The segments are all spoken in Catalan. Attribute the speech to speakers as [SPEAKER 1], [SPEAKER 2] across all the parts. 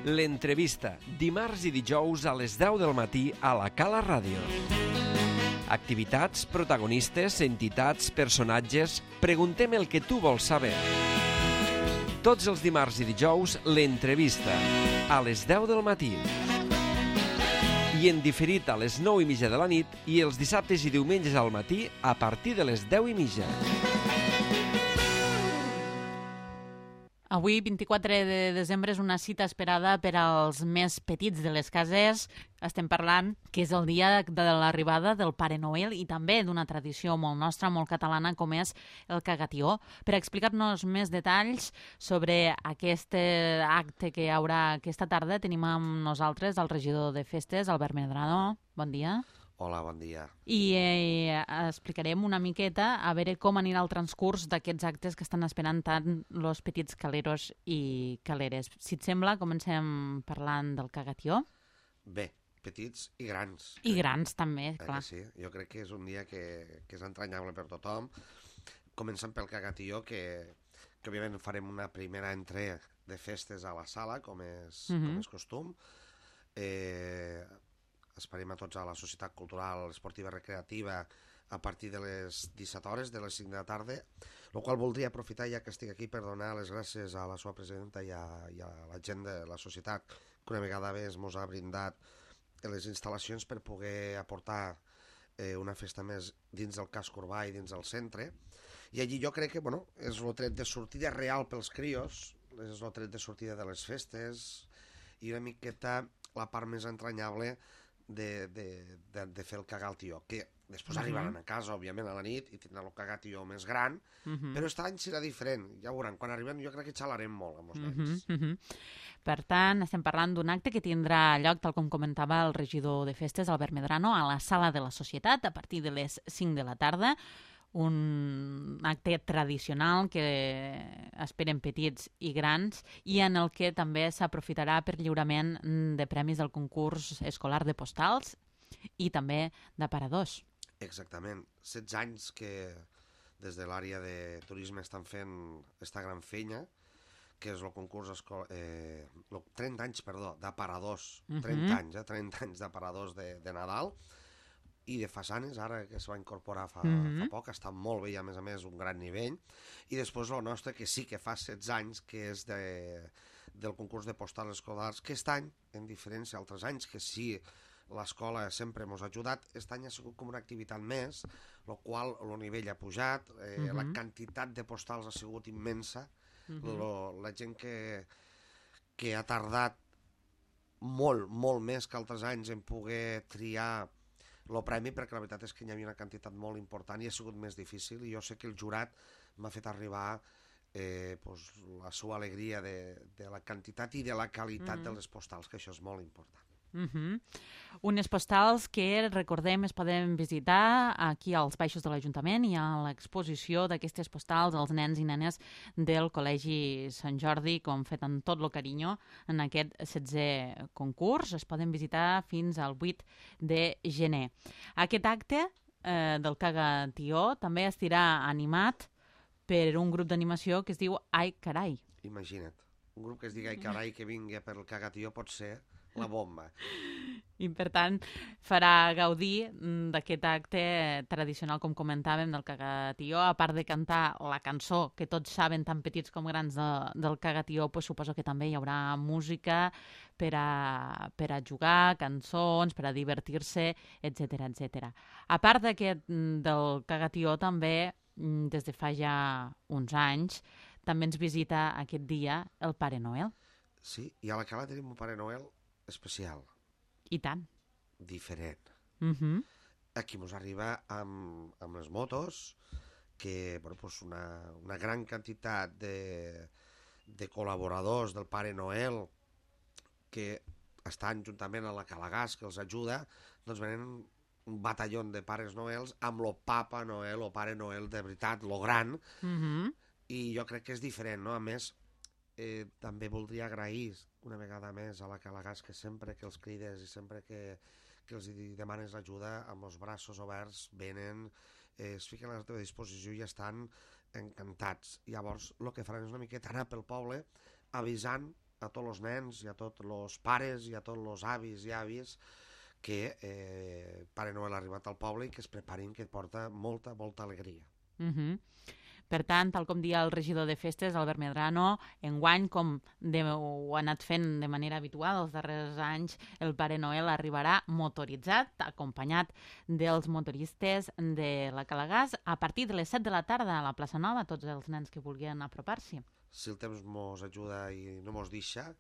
[SPEAKER 1] L'entrevista, dimarts i dijous a les 10 del matí a la Cala Ràdio. Activitats, protagonistes, entitats, personatges... Preguntem el que tu vols saber. Tots els dimarts i dijous, l'entrevista, a les 10 del matí. I en diferit a les 9:30 de la nit i els dissabtes i diumenges al matí a partir de les 10:30.
[SPEAKER 2] Avui, 24 de desembre, és una cita esperada per als més petits de les cases. Estem parlant que és el dia de l'arribada del Pare Noel i també d'una tradició molt nostra, molt catalana, com és el cagatió. Per explicar-nos més detalls sobre aquest acte que hi haurà aquesta tarda, tenim amb nosaltres el regidor de festes, Albert Medrano. Bon dia.
[SPEAKER 3] Hola, bon dia.
[SPEAKER 2] I explicarem una miqueta a veure com anirà el transcurs d'aquests actes que estan esperant tant els petits caleros i caleres. Si et sembla, comencem parlant del cagatió.
[SPEAKER 3] Bé, petits i grans.
[SPEAKER 2] I grans també, clar.
[SPEAKER 3] Sí, jo crec que és un dia que és entranyable per tothom. Comencem pel cagatió, que òbviament farem una primera entrega de festes a la sala, com és costum. Esperem a tots a la Societat Cultural Esportiva Recreativa a partir de les 17 hores, de les 5 de la tarda, el qual voldria aprofitar, ja que estic aquí, per donar les gràcies a la seva presidenta i a la gent de la societat, que una vegada més ens ha brindat les instal·lacions per poder aportar una festa més dins del casc urbà i dins del centre. I allí jo crec que és el tret de sortida real pels crios, és el tret de sortida de les festes i una miqueta la part més entranyable de fer el cagatió, que després arribaran a casa, òbviament, a la nit i tindran el cagatió més gran, però aquest any serà diferent, ja veuran, quan arribem jo crec que xalarem molt amb els nens.
[SPEAKER 2] Per tant, estem parlant d'un acte que tindrà lloc, tal com comentava el regidor de festes, Albert Medrano, a la sala de la Societat, a partir de les 5 de la tarda, un acte tradicional que esperen petits i grans i en el que també s'aprofitarà per lliurament de premis del concurs escolar de postals i també d'aparadors.
[SPEAKER 3] Exactament. 16 anys que des de l'àrea de turisme estan fent esta gran feina, que és el concurs 30 anys, d'aparadors. 30 anys d'aparadors de Nadal i de façanes, ara que es va incorporar fa poc, està molt bé i a més un gran nivell. I després el nostre, que sí que fa 16 anys, que és del concurs de postals escolars, que aquest any, en diferència d'altres anys, que sí, l'escola sempre ens ha ajudat, aquest any ha sigut com una activitat més, el qual el nivell ha pujat, la quantitat de postals ha sigut immensa, la gent que ha tardat molt, molt més que altres anys en poder triar el premi, perquè la veritat és que hi havia una quantitat molt important i ha sigut més difícil, i jo sé que el jurat m'ha fet arribar la seva alegria de la quantitat i de la qualitat de les postals, que això és molt important.
[SPEAKER 2] Unes postals que, recordem, es poden visitar aquí als baixos de l'Ajuntament. Hi ha l'exposició d'aquestes postals als nens i nenes del Col·legi Sant Jordi, com fet amb tot el carinyo en aquest 16è concurs. Es poden visitar fins al 8 de gener. Aquest acte del cagatió també estarà animat per un grup d'animació que es diu Ai Carai.
[SPEAKER 3] Imagina't, un grup que es digui Ai Carai que vingui per el cagatió pot ser la bomba.
[SPEAKER 2] I, per tant, farà gaudir d'aquest acte tradicional, com comentàvem, del cagatió. A part de cantar la cançó, que tots saben, tan petits com grans, del cagatió, suposo que també hi haurà música per a jugar, cançons, per a divertir-se, etc. A part del cagatió, també, des de fa ja uns anys, també ens visita aquest dia el Pare Noel.
[SPEAKER 3] Sí, i a la Cala tenim un Pare Noel especial.
[SPEAKER 2] I tant.
[SPEAKER 3] Diferent. Aquí ens arriba amb les motos, que una gran quantitat de col·laboradors del Pare Noel que estan juntament a la Calagas, que els ajuda, doncs venen un batalló de Pares Noels amb lo Papa Noel o Pare Noel de veritat, lo gran, i jo crec que és diferent, no? A més, també voldria agrair una vegada més a la Calagas, que sempre que els crides i sempre que els demanes ajuda, amb els braços oberts venen, es fiquen a la teva disposició i estan encantats. Llavors el que faran és una miqueta anar pel poble avisant a tots els nens i a tots els pares i a tots els avis i àvies que Pare Noel ha arribat al poble i que es preparin, que porta molta, molta alegria.
[SPEAKER 2] Per tant, tal com dia el regidor de festes, Albert Medrano, enguany, com ho ha anat fent de manera habitual els darrers anys, el Pare Noel arribarà motoritzat, acompanyat dels motoristes de la Calagàs, a partir de les 7 de la tarda a la plaça Nova, tots els nens que vulguin apropar-s'hi.
[SPEAKER 3] Si el temps mos ajuda i no mos deixa,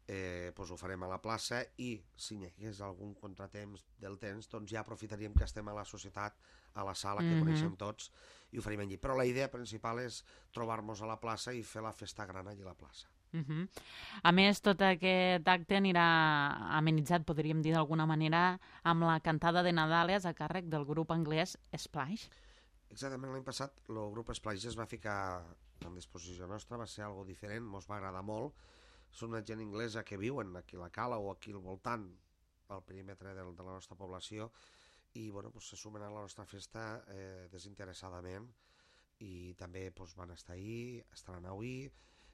[SPEAKER 3] doncs ho farem a la plaça, i si hi hagués algun contratemps del temps, doncs ja aprofitaríem que estem a la societat, a la sala que coneixem tots, i ho faríem allí. Però la idea principal és trobar-nos a la plaça i fer la festa gran allí a la plaça.
[SPEAKER 2] A més, tot aquest acte anirà amenitzat, podríem dir d'alguna manera, amb la cantada de Nadales a càrrec del grup anglès Splash.
[SPEAKER 3] Exactament, l'any passat el grup Splash es va ficar a disposició nostra, va ser algo diferent, ens va agradar molt. Són una gent inglesa que viuen aquí a la Cala o aquí al voltant, al perímetre de la nostra població, i se sumen a la nostra festa desinteressadament, i també van estar ahí, estaran avui,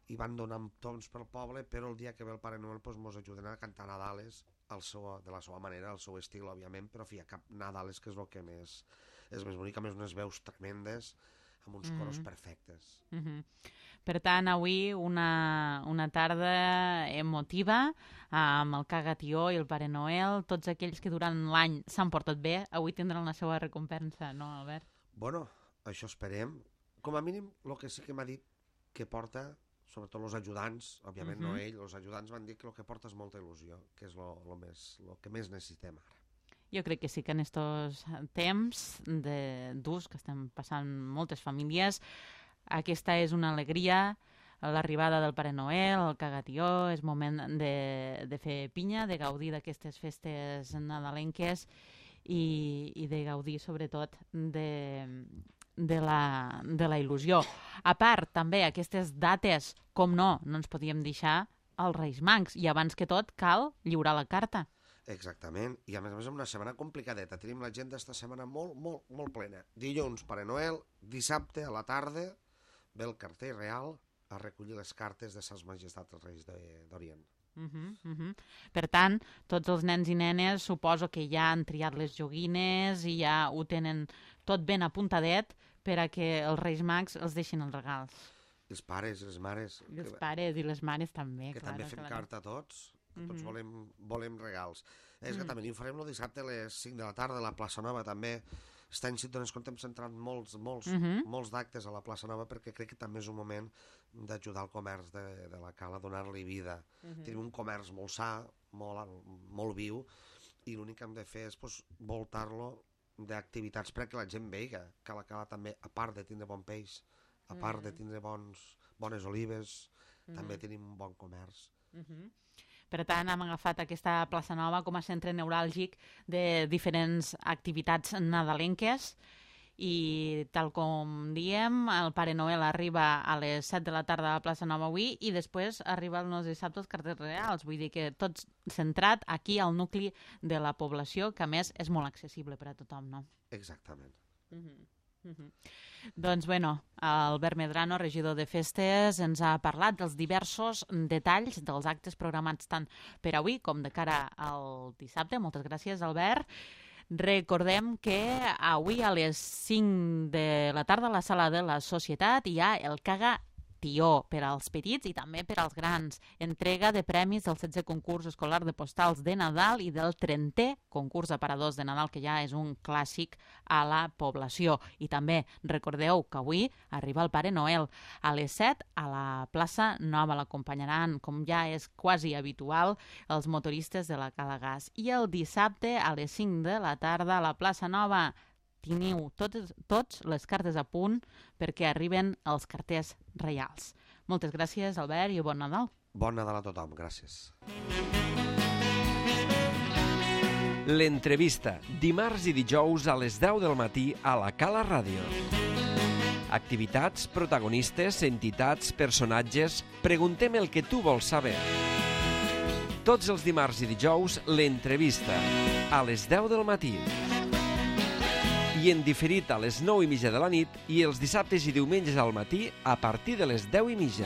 [SPEAKER 3] i van donant tons pel poble, però el dia que ve el Pare Noel ens ajuden a cantar Nadales de la seva manera, al seu estil, òbviament, però hi ha cap Nadales, que és el que és més bonic, a més unes veus tremendes, amb uns coros perfectes.
[SPEAKER 2] Per tant, avui una tarda emotiva amb el Cagatió i el Pare Noel. Tots aquells que durant l'any s'han portat bé, avui tindran la seva recompensa, no, Albert?
[SPEAKER 3] Bueno, això esperem. Com a mínim, el que sí que m'ha dit que porta, sobretot els ajudants, òbviament no ell, els ajudants van dir que el que porta és molta il·lusió, que és el que més necessitem ara.
[SPEAKER 2] Jo crec que sí que en aquests temps durs que estem passant moltes famílies, aquesta és una alegria, l'arribada del Pare Noel, el Cagatió, és moment de fer pinya, de gaudir d'aquestes festes nadalenques i de gaudir sobretot de la il·lusió. A part, també, aquestes dates, com no ens podíem deixar els Reis Mags, i abans que tot cal lliurar la carta.
[SPEAKER 3] Exactament, i a més és una setmana complicadeta, tenim l'agenda esta setmana molt, molt, molt plena. Dilluns, Pare Noel, dissabte a la tarda ve el carter real a recollir les cartes de Sas Majestats els Reis d'Orient.
[SPEAKER 2] Per tant, tots els nens i nenes suposo que ja han triat les joguines i ja ho tenen tot ben apuntadet per a que els Reis Mags els deixin els regals.
[SPEAKER 3] Els pares, les mares...
[SPEAKER 2] Els pares i les mares també,
[SPEAKER 3] que també fem carta a tots. Tots volem regals. És que també ho farem el dissabte a les 5 de la tarda a la plaça Nova, també. Aquest any, si et dones compte, hem centrat molts d'actes a la plaça Nova, perquè crec que també és un moment d'ajudar el comerç de la Cala, donar-li vida. Tenim un comerç molt sa, molt viu, i l'únic que hem de fer és voltar-lo d'activitats perquè la gent veiga que la Cala també, a part de tindre bon peix, a part de tindre bones olives, també tenim un bon comerç.
[SPEAKER 2] Per tant, hem agafat aquesta plaça Nova com a centre neuràlgic de diferents activitats nadalenques i, tal com diem, el Pare Noel arriba a les 7 de la tarda a la plaça Nova avui i després arriba el nostre dissabte als carters reals. Vull dir que tot centrat aquí al nucli de la població, que a més és molt accessible per a tothom, no?
[SPEAKER 3] Exactament.
[SPEAKER 2] Doncs, bueno, Albert Medrano, regidor de festes, ens ha parlat dels diversos detalls dels actes programats tant per avui com de cara al dissabte. Moltes gràcies, Albert. Recordem que avui a les 5 de la tarda a la sala de la Societat hi ha el Cagatió per als petits i també per als grans. Entrega de premis del 16è concurs escolar de postals de Nadal i del 30è concurs d'aparadors de Nadal, que ja és un clàssic a la població. I també recordeu que avui arriba el Pare Noel. A les 7 a la plaça Nova l'acompanyaran, com ja és quasi habitual, els motoristes de la Calagàs. I el dissabte a les 5 de la tarda a la plaça Nova teniu tots les cartes a punt perquè arriben els carters reials. Moltes gràcies, Albert, i bon Nadal.
[SPEAKER 3] Bon Nadal a tothom, gràcies.
[SPEAKER 1] L'entrevista, dimarts i dijous a les 10 del matí a la Cala Ràdio. Activitats, protagonistes, entitats, personatges... Preguntem el que tu vols saber. Tots els dimarts i dijous, l'entrevista, a les 10 del matí. I en diferit a les 9:30 de la nit i els dissabtes i diumenges al matí a partir de les 10:30.